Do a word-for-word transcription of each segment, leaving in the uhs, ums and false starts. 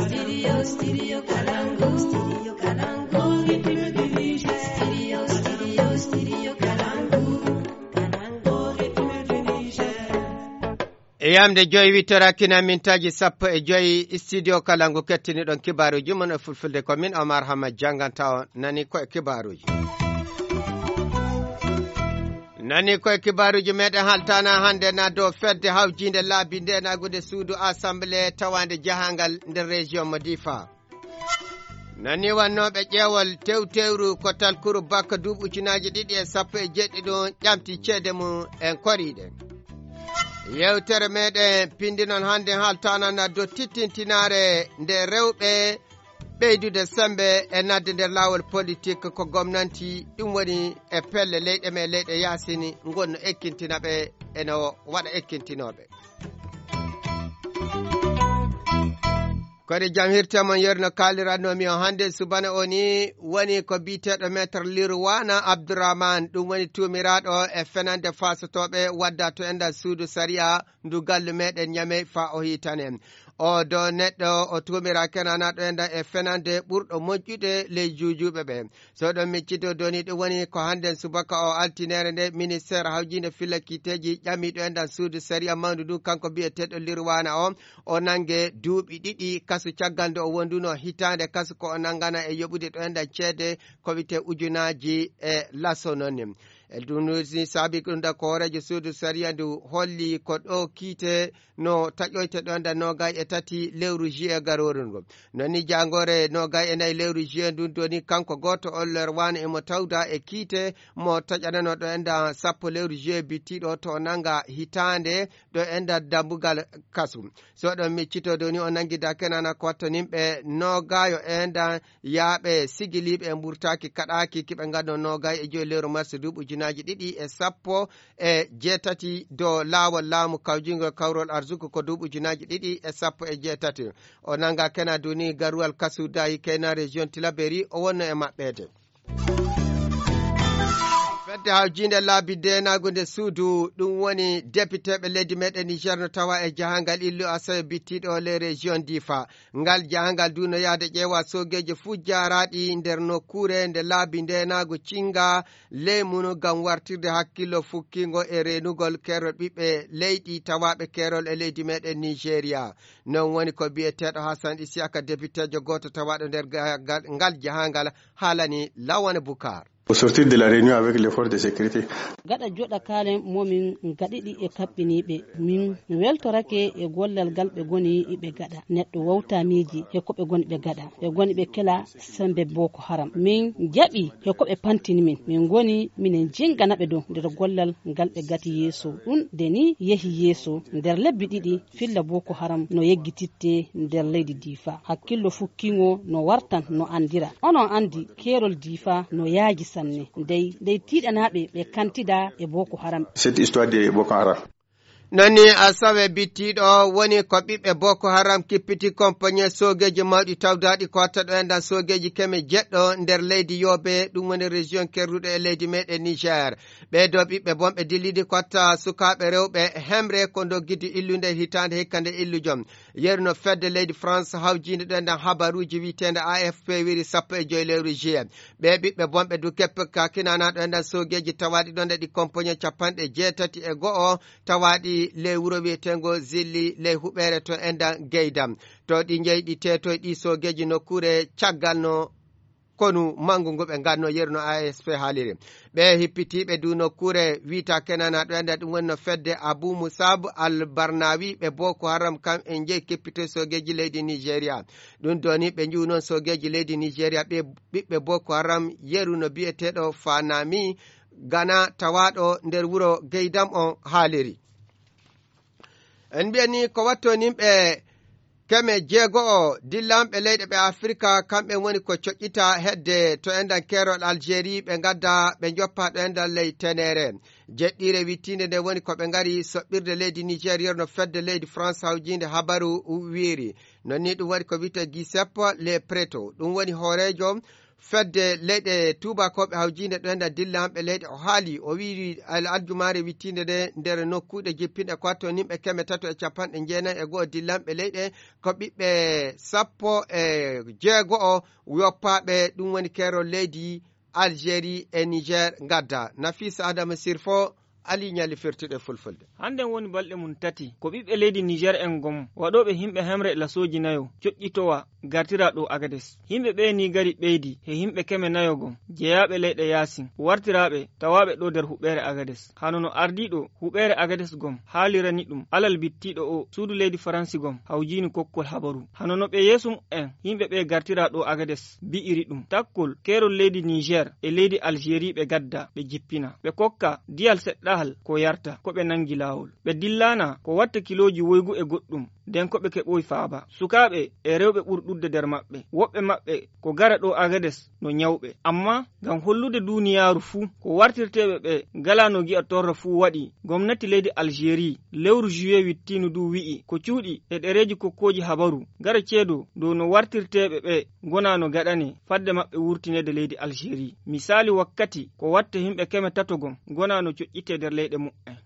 Studio, studio Kalangu, studio Kalangu, rythme du Niger. Studio, studio, studio Kalangu, Kalangu, rythme du Niger. E yamde joyi, huit heures hakkunde mintaaji sappo e joyi, studio Kalangu kettiniɗon kibaaruuji mon e fulfulde. Ko min Omar Hamad jannganta on. Nani ko e kibaaruuji. Nani koye kibaaruuji meɗen haltaana hannde na dow fedde hawjiinde laabi ndeenaagu nde suudu assemblée tawaande jahangal nder région mo Difa. Nani wannooɓe ƴeewol tewtewru ko talkuru bakka duuɓi ujunaaji ɗiɗi e sappo e jeeɗiɗi ɗum ƴamti ceede mum en koriiɗe. Yewtere meɗen pinndi noon hannde haltaana na dow tittintinaare nde rewɓe ɓeydude semmbe e naatde nder laawol politik ko gomnanti, ɗum woni e pelle leyɗe men, leyɗe yaasini ngonno ekkintina ɓe, ene waɗa ekkintinooɓe. Koɗe jam hirte mon, yerno kaalirannomi o hannde subana o ni woni ko biyeteeɗo Maître Lirwana Abdourahmane, ɗum woni tuumiraaɗo e fenande faasotooɓe wadda to enɗan suudu sariya ndu gallu meɗen Ñamey fa o hiitanen. O do neɗɗo o tuumira kenanaɗo enɗan e fenande ɓurɗo moƴƴude ley juujuuɓe ɓe. So ɗon miccito doni ɗum woni ko hannden subaka o altinere nde ministeer hawjiinde fillakiteeji ƴamiɗo enɗan suudu sariya mawndu ndu kanko biyeteeɗo Lirwana o, o nange duuɓi ɗiɗi kasu caggal nde o wonduno hitaande kasu ko o nangana e yoɓude ɗo enɗan ceede ko wiyetee ujunaaji e laso noon. E ɗum ni saabi ɗum ɗa ko hooreejo suudu sariya ndu holli ko ɗo kiite no taƴoyte ɗo enɗan noogay e tati lewru juillet garooru ndu. Noon ni jaangoore noogay e nayi lewru juillet ndun doni kanko gooto o Lirwana emo tawda e kiite mo taƴanano ɗo enɗan sappo lewru juillet bittiiɗo to o nanga hitaande ɗo enɗan dambugal kasu. So ɗon miccito doni o nangi dakenana ko wattanimɓe noogayo enɗan yaaɓe sigiliiɓe e mburtaaki kaɗaaki kiɓe ngadno noogay e joyi lewru mars duuɓi ujunaaji ɗiɗi e sappo e jeetati dow laawol laamu kawjingol kawrol arsuku ko duuɓi ujunaaji ɗiɗi e sappo e jeetati. O nanga kena duni garuwal kasu dayi kena région Tilaberi o wonno e maɓɓeede. Fedde hawjiinde laabi deenaagu nde suudu, ɗum woni depiteeɓe leydi meɗen Niger no tawa e jahangal illu asawe bittiiɗo les régions Difa. Ngal jahangal du no yahde ƴeewa soogeeji fuu jaaraaɗi nder nokkuure nde laabi ndeenaagu cinga ley mum ngam wartirde hakkillo fukkiingo e reenugol keerol ɓiɓɓe leydi tawaaɓe keerol e leydi meɗen Nigeria. Non woni ko biyeteeɗo Hassan Isiyaka, depiteejo gooto tawaaɗo nder ga-, ga-, ngal jahangal, haalani Lawane Bukar. Au sortir de la réunion avec les forces de sécurité. Gaɗa joɗa kalen momin gaɗiɗi e kaɓɓiniɓe. Min weltorake e gollal gal ɓe goni iɓe gaɗa. Neɗɗo wawta miiji he ko ɓe goni ɓe gaɗa. Ɓe goni ɓe kela sembe Boko Haram. Min jaɓi he ko ɓe pantini min. Min goni minen jingana ɓe dow nder gollal ngal ɓe gati yeeso. Ɗum de ni yehi yeeso nder lebbi ɗiɗi. Filla Boko Haram no yeggititte nder leydi Difa. Hakkillo fukkiŋo no wartan no andira. Onon andi keerol Difa no yaaji sanne. Ndey, ndey tiiɗanaaɓe ɓe kantida e Boko Haram. Cette histoire de Boko Haram. Nani asawe bittiiɗo woni ko ɓiɓɓe Boko Haram kippiti kompanye soogeeji mawɗi tawdaaɗi ko watta ɗo enɗan soogeeji keme jeɗɗo nder leydi Yobe, ɗum woni région kerruɗo e leydi meɗen Niger. Ɓee ɗoo ɓiɓɓe bonɓe dillidi ko watta sukaaɓe rewɓe hemre ko doggidi illunde hitaande hikka nde illujo. Yeru no fedde leydi France hawjiinde ɗo enɗan habaruuji wiyeteende A F P wiri sappo e joy lewru juillet. Ɓee ɓiɓɓe bonɓe du keppe kakinana ɗo enɗan soogeeji tawaaɗi ɗon e ɗi kompoñe capanɗe jeetati e go'o tawaaɗi ley wuro wiyeteengo Zilli ley huɓeere to enɗan Geydam. To ɗi njeyi ɗi teetoy ɗi soogeeji nokkuure caggal no konu manngu ngu ɓe nganno yeru no A S P haaliri. Ɓe hippitiiɓe du nokkuure wiyta kenana ɗo enɗan ɗum woni no fedde Abu Musab Al Barnawi ɓe Boko Haram kam en njeyi keppitoy soogeeji leydi Nigeria. Ɗum doni ɓe njiwu noon soogeeji leydi Nigeria ɓe ɓiɓɓe Boko Haram yeru no biyeteeɗo Fanami Gana tawaaɗo nder wuro Geydam on haaliri. En mbiyanii ko watto nimɓe keme jeego'o dillanɓe leyɗe ɓe Afirka, kamɓe woni ko coƴƴita hedde to enɗan keerol Algérie, ɓe ngadda ɓe njoppa ɗo enɗan ley Tenere. Jeɗɗiire wittiinde nde woni ko ɓe ngari soɓɓirde leydi Niger, yerno fedde leydi France hawjiinde habaru wiiri. Non ni ɗum waɗi ko wiyetee Giuseppe Le Preto, ɗum woni hooreejo Fedde leyɗe tuubakooɓe hawjiinde ɗo enɗan dillanɓe leyɗe o haali, o wii al-, aljumaare wittiinde nde nder nokkuuɗe jippinɗe ko watto nimɓe keme tato e capanɗe jeenayi e go'o dillanɓe leyɗe ko ɓiɓɓe sappo e jeego'o yoppaaɓe, ɗum woni keerol leydi Algérie e Niger ngadda. Nafisa Adama Sirfo, Ali Ñali firtuɗe fulfulde. Hannden woni balɗe mum tati ko ɓiɓɓe leydi Niger en gom waɗooɓe yimɓe hemre lasooji nayo coƴƴitowa gartira ɗo Agades. Yimɓe ɓee ni gari ɓeydi he yimɓe keme nayo gom jeyaaɓe leyɗe yaasin wartiraaɓe tawaaɓe ɗo nder huɓeere Agades. Hano no ardiiɗo huɓeere Agades gom haalirani ɗum alal bittiiɗo o suudu leydi Faransi gom hawjiini kokkol habaru. Hano no ɓe yeeso mu'en yimɓe ɓee gartira ɗo Agades bi'iri ɗum takkol keerol leydi Niger e leydi Algérie ɓe gadda ɓe jippina. Ɓe kokka diyal seɗɗahal ko yarta ko ɓe nangi laawol. Ɓe dillaana ko watta kilooji woygu e goɗɗum. Nden ko ɓe keɓoyi faaba. Sukaaɓe e rewɓe ɓuri ɗuuɗde nder maɓɓe. Woɓɓe maɓɓe ko gara ɗo Agades no ñawɓe. Amma ngam hollude duuniyaaru fuu ko wartirteeɓe ɓe ngalaa no gi'a torra fuu waɗi, gomnati leydi Algérie lewru juillet wittiinu du wi'i ko cuuɗi e ɗereeji kokkooji habaru gara ceedo dow no wartirteeɓe ɓe ngonaa no gaɗane fadde maɓɓe wurtineede leydi Algérie. Misaali wakkati ko watta yimɓe keme tato gom ngonaa no coƴƴitee nder leyɗe mu'en.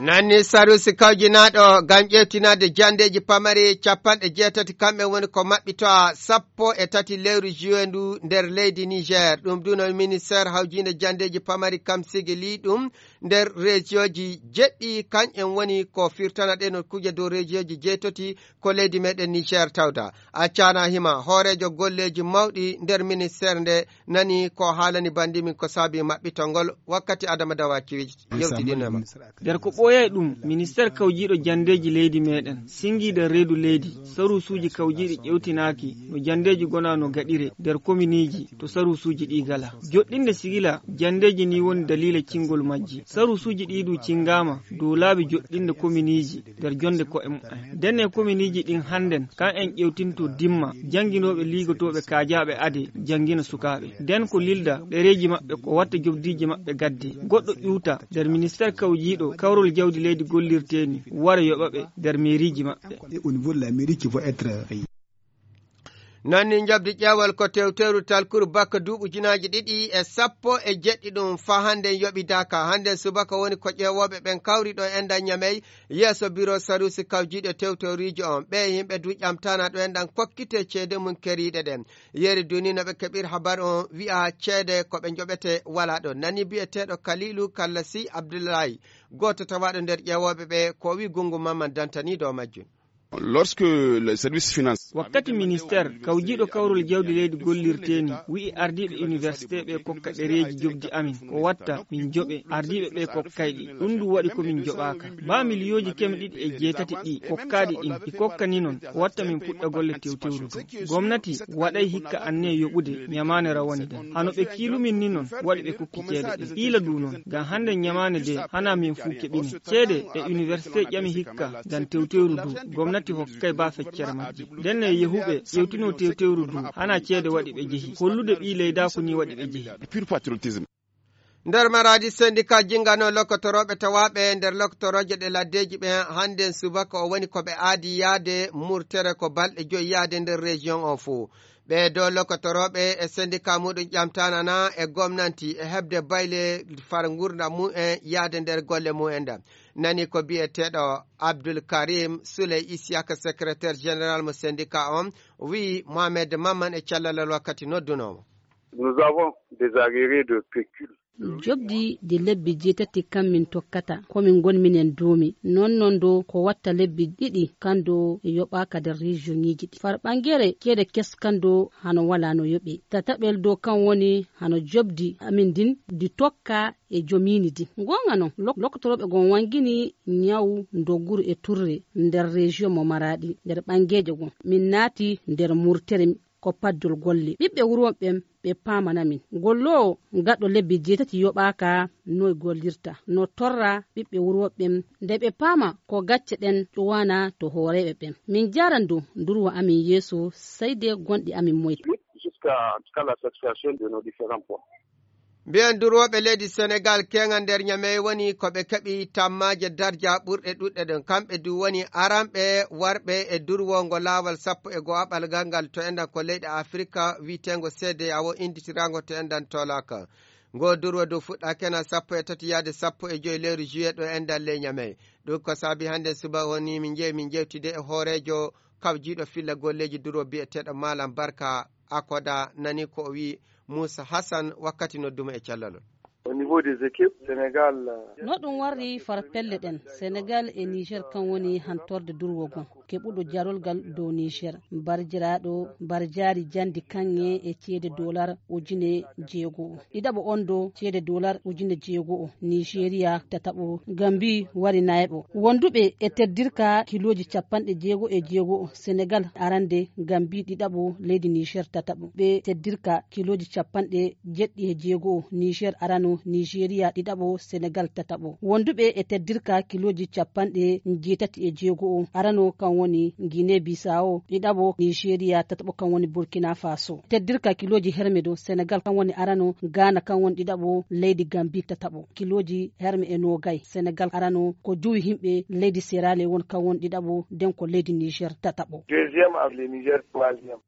Nanni sarusi kawjinaaɗo ngam ƴeewtinaade janndeeji pamari capanɗe jeetati, kamɓe woni ko maɓɓito sappo e tati lewru juillet ndu nder leydi Niger. Ɗum duno ministeer hawjiinde janndeeji pamari kam sigili ɗum nder reesiyooji jeɗɗi, kañƴen woni ko firtana ɗee no kuje dow reesiyooji jeetati ko leydi meɗen Niger tawda. A caana hima hooreejo golleeji mawɗi nder ministeer nde nani ko haalani banndi min ko saabi maɓɓitol ngol wakkati Adama Dawa Kiwij yewtidino e makko. Nder ko ɓooyay ɗum, ministeer kawjiiɗo janndeeji leydi meɗen, singiiɗo reedu leydi, saruusuuji kawjiiɗi ƴewtinaaki no janndeeji gona no gaɗire nder kominiiji to saruusuuji ɗi gala. Joɗɗinde sigila janndeeji ni woni daliila cingol majji. Saruusuuji ɗi du cingaama dow laabi joɗɗinde kominiiji nder jonde ko'e mumen. Nden e kominiiji ɗin hannden, kan en ƴewtinto dimma, jannginooɓe liigotooɓe kaajaaɓe ade, janngina sukaaɓe. Nden ko lilda ɗereeji maɓɓe ko watta jobdiiji maɓɓe gadde. Goɗɗo ƴuuta nder ministeer kawjiiɗo kawrol jawdi leydi gollirteeni, wara yoɓa ɓe nder meeriiji maɓɓe. Et au niveau de la mairie qui vont être Nanni njoɓdi ƴeewal ko tewteeru talkuru bakka duuɓi ujunaaji ɗiɗi e sappo e jeɗɗi ɗum faa hannden yoɓidaaka. Hannden subaka woni ko ƴeewooɓe ɓen kawri ɗo enɗan Ñamey yeeso biro saruusi kawjiiɗo tewteeruuji on. Ɓee yimɓe du ƴamtaana ɗo enɗan kokkitee ceede mum keriiɗe ɗen. Yeeri duni no ɓe keɓir habar on wi'a ceede ko ɓe njoɓete walaa ɗon. Nani bi'eteeɗo Kaliilu Kallasi Abdullahi, gooto tawaaɗo nder ƴeewooɓe ɓe, ko o wi'i Gungu Mamman Dantani dow majjum. Lorsque le service finance Wakkati ministeer kawjiiɗo kawrol jawdi leydi gollirteeni wi'i ardiiɓe université ɓe kokka ɗereeji jobdi amin ko watta min joɓe ardiiɓe ɓe kokkayɗi, ɗum ndu waɗi ko min joɓaaka. Ba miliyooji keme ɗiɗi e jeetati ɗi kokkaaɗi ɗin ɗi kokkani non ko watta min puɗɗa golle tewtewru du. Gomnati waɗay hikka anne yoɓude ñamaane rawani ɗen. Hano ɓe kiilumin ni non waɗi ɓe kokki ceede ɗen. Ɓiila du non ngam hannde ñamaane de hana min fuu keɓine. Ceede e université ƴami hikka ngam tewtewru du gomnati hokkay ba feccere majji. Nden e yehuɓe ƴewtino tewtewru du hana ceede waɗi ɓe jehi. Hollude ɓii leydaaku ni waɗi ɓe jehi. Pur patriotisme. Nder maraadi sendika jingano lokotorooɓe tawaaɓe nder lokotorooje ɗe laddeeji ɓe hannden subaka o woni ko ɓe aadi yaade murtere ko balɗe joyi yaade nder région o fuu. Ɓee do lokotorooɓe e sendika muɗum ƴamtaanana e gomnanti e heɓde bayle far ngurndan mumen yaade nder golle mumen ɗan. Nani ko biyeteeɗo Abdul Karim Souley Isiaka, secrétaire général mo sendika on, wi'i Mohamed Mamman e callalal wakkati noddunoo mo. Nous avons des arriérés de pécule. Jobdi di lebbi jeetati kan min tokkata, ko min ngon minen duumi. Non non do ko watta lebbi ɗiɗi kan do yoɓaaka nder région ŋiji ɗi. Far ɓangere ceede kes kan do hano wala no yoɓe. Tataɓel do kan woni hano jobdi amin din di tokka e jomini din. Ngonga non, lok-, lokotoroɓe gon wangini ñaw ndoguru e turre nder région mo Maradi, nder ɓangeeje gon. Min naati nder murtere ko paddol golle. Ɓiɓɓe wuro ɓen ɓe paamana min. Golloowo gaɗo lebbi jeetati yoɓaaka noy gollirta, no torra ɓiɓɓe wuro ɓen nde ɓe paama ko gacce ɗen ƴowana to hooreeɓe ɓen. Min jaaran dow ndurwa amin yeeso, sai de gonɗi amin moyta. Jusqu'à, jusqu'à la satisfaction de nos différents points. Mbiyen durwooɓe leydi Senegaal keeŋa nder Ñamey woni ko ɓe keɓi tammaaje darja ɓurɗe ɗuɗɗe ɗon. Kamɓe du woni aranɓe warɓe e durwongo laawol sappo e go'aɓal ngal ngal to enɗan ko leyɗe Afirka wiyeteengo C D A O innditiraango to enɗan Tolaka. Ngo durwo du fuɗɗaaki ena sappo e tati yaade sappo e joy lewru juillet ɗo enɗan ley Ñamey. Ɗum ko saabi hannde suba woni min njehi min njewtide e hooreejo kawjiiɗo filla golleeji durwo biyeteeɗo Malam Barka Akoda, nani ko o wiyi Muusa Hasan wakkati noddumo e callalol. Au niveau des équipes, Sénégal, euh, No ɗum warri far pelle ɗen, Senegal e Niger kan woni hantorde durwo gon, keɓuɗo jarolgal dow Niger. Barjiraaɗo, barjaari jandi kaŋŋe e ceede dolar ujine jeego'o. Ɗiɗaɓo on do ceede dolar ujine jeego'o, Nigeria tataɓo, Gambi wari nayaɓo. Wonduɓe e teddirka kilooji capanɗe jeego e jeego'o, Senegal arande, Gambi ɗiɗaɓo, leydi Niger tataɓo. Ɓe teddirka kilooji capanɗe jeɗɗi e jeego'o, Niger arano, Nigeria ɗiɗaɓo, Senegal tataɓo. Wonduɓe e teddirka kilooji capanɗe jeetati e jeego'o, arano kan woni Guinée Bissau, ɗiɗaɓo, Nigeria tataɓo kan woni Burkina Faso. Teddirka kilooji herme do, Senegal kan woni arano, Ghana kan woni ɗiɗaɓo, leydi Gambi tataɓo. Kilooji herme e noogay, Senegal arano ko jowi himɓe, leydi Sierra Leone kan woni ɗiɗaɓo, den ko leydi Niger tataɓo. Deuxième avec le Niger, troisième.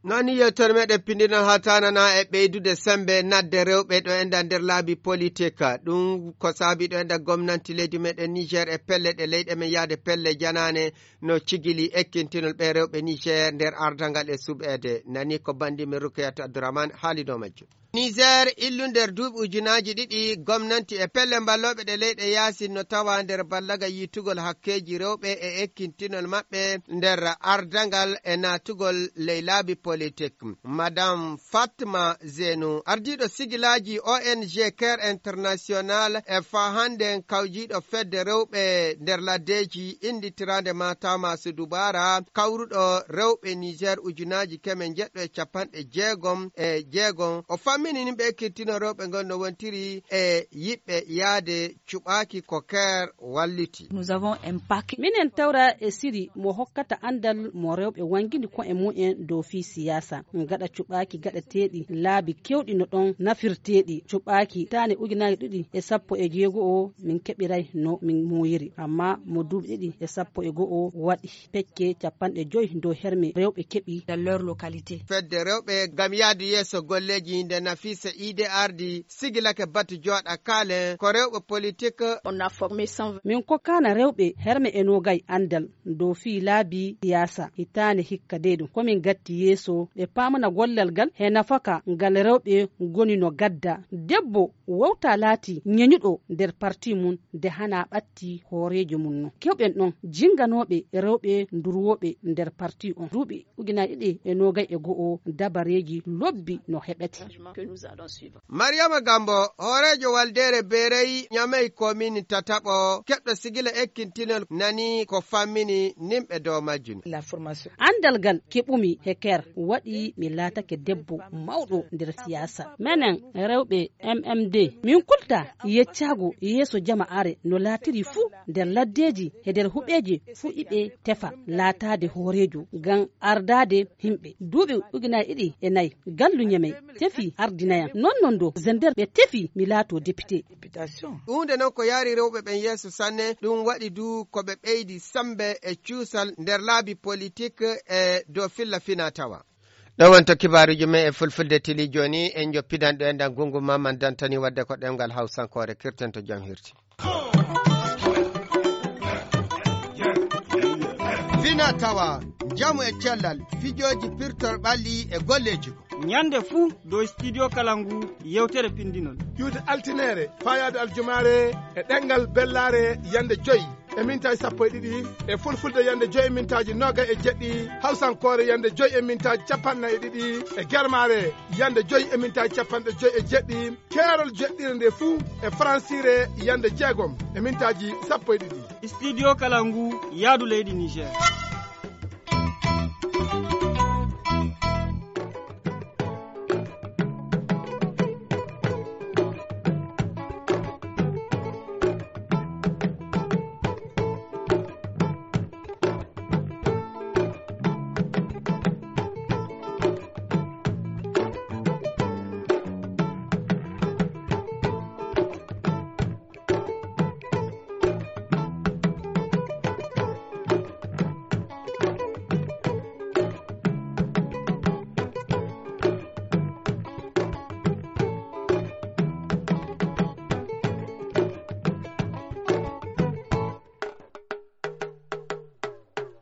Noon ni yewtere meɗen pinndinol hawtanana e ɓeydude semmbe nadde rewɓe ɗo enɗan nder laabi politik. Ɗum ko saabi ɗo enɗan gomnanti leydi meɗen Niger e pelle ɗe leyɗe men yahde pelle janaane no cigili ekkintinol ɓe rewɓe Niger nder ardangal e suɓeede. Nani ko banndi men Rukayatu Abdourahmane haali dow majjum. Niger illu nder duuɓi ujunaaji ɗiɗi gomnanti e pelle mballooɓe ɗe leyɗe yaasin no tawa nder ballaga yiitugol hakkeeji rewɓe e ekkintinol maɓɓe nder ardangal e naatugol ley laabi politik. Madame Fatma Zenu, ardiiɗo sigilaaji O N G Care International e faa hannden kawjiiɗo fedde rewɓe nder laddeeji innditiraande Matama Sudubara, kawruɗo rewɓe Niger ujunaaji keme njeɗɗo e capanɗe jeegom e jeegom. O fammini ni ɓe ekkittino rewɓe ngol no wontiri e yiɓɓe yaade cuɓaaki ko Care walliti. Nous avons un paquet. Minen tawra e siri mo hokkata anndal mo rewɓe wangini ko'e mumen dow fii siyaasa. Gaɗa cuɓaaki gaɗateeɗi laabi kewɗi no ɗon nafirteeɗi. Cuɓaaki taane ujunaaji ɗiɗi e sappo e jeego o min keɓiray no min muuyiri. Amma mo duuɓi ɗiɗi e sappo e go'o waɗi pecce capanɗe joy dow herme rewɓe keɓi. Dans leur localité. Fedde rewɓe ngam yahdu yeeso golleeji nde Nafisa Ide ardi sigilake batu jooɗa kaalen ko rewɓe politik. On a formé cent vingt. Min kokkaana rewɓe herme e noogay anndal dow fii laabi siyaasa hitaande hikka dey ɗum. Ko min gatti yeeso ɓe paamana gollal ngal he nafaka ngal rewɓe ngoni no gadda. Debbo wowta laati ñeñuɗo nder parti mum de hana ɓatti hooreejo mum no. Kewɓen ɗon jinganooɓe rewɓe ndurwooɓe nder parti on. Duuɓi ujunaaji ɗiɗi e noogay e go'o dabareeji lobbi no heɓete. Mariama Gambo, hooreejo waldeere Beerey Ñamey komin tataɓo, keɓɗo sigila ekkintinol nani ko fammini nimɓe dow majjum. Anndal ngal keɓumi he Care waɗi mi laatake debbo mawɗo nder siyaasa. Menen rewɓe M M D, min kulta yeccaago yeeso jama'aare no laatiri fuu nder laddeeji he nder huɓeeji fuu iɓe tefa laataade hooreejo ngam ardaade himɓe. Duuɓi ujunaaji ɗiɗi e nayi, gallu Ñamey tefi ardinayam. Non non do zender ɓe tefi mi laato député. Huunde non ko yaari rewɓe ɓen yeeso sanne, ɗum waɗi du ko ɓe ɓeydi semmbe e cuusal nder laabi politik e dow filla fina tawa. Ɗo wonto kibaaruuji men e fulfulde tili jooni, en joppidan ɗo enɗan gungu Maman Dantani wadde ko ɗemngal Hawsankoore, kirten to jam hirti. Fina tawa, njamu e cellal, fijooji pirtor ɓalli e golleeji. Ñande fuu dow Studio Kalangu yewtere pinndinol. Iwde altineere, faayaade aljumaare e ɗemngal bellaare yande joyi e mintaaji sappo e ɗiɗi, e fulfulde yande joyi e mintaaji noogay e jeɗɗi, hawsankoore yande joyi e mintaaji capanɗe nayi e ɗiɗi, e germaare yande joyi e mintaaji capanɗe joyi e jeɗɗi, keerol joɗɗire nde fuu e faransiire yande jeegom e mintaaji sappo e ɗiɗi. Studio Kalangu, yaadu leydi Niger.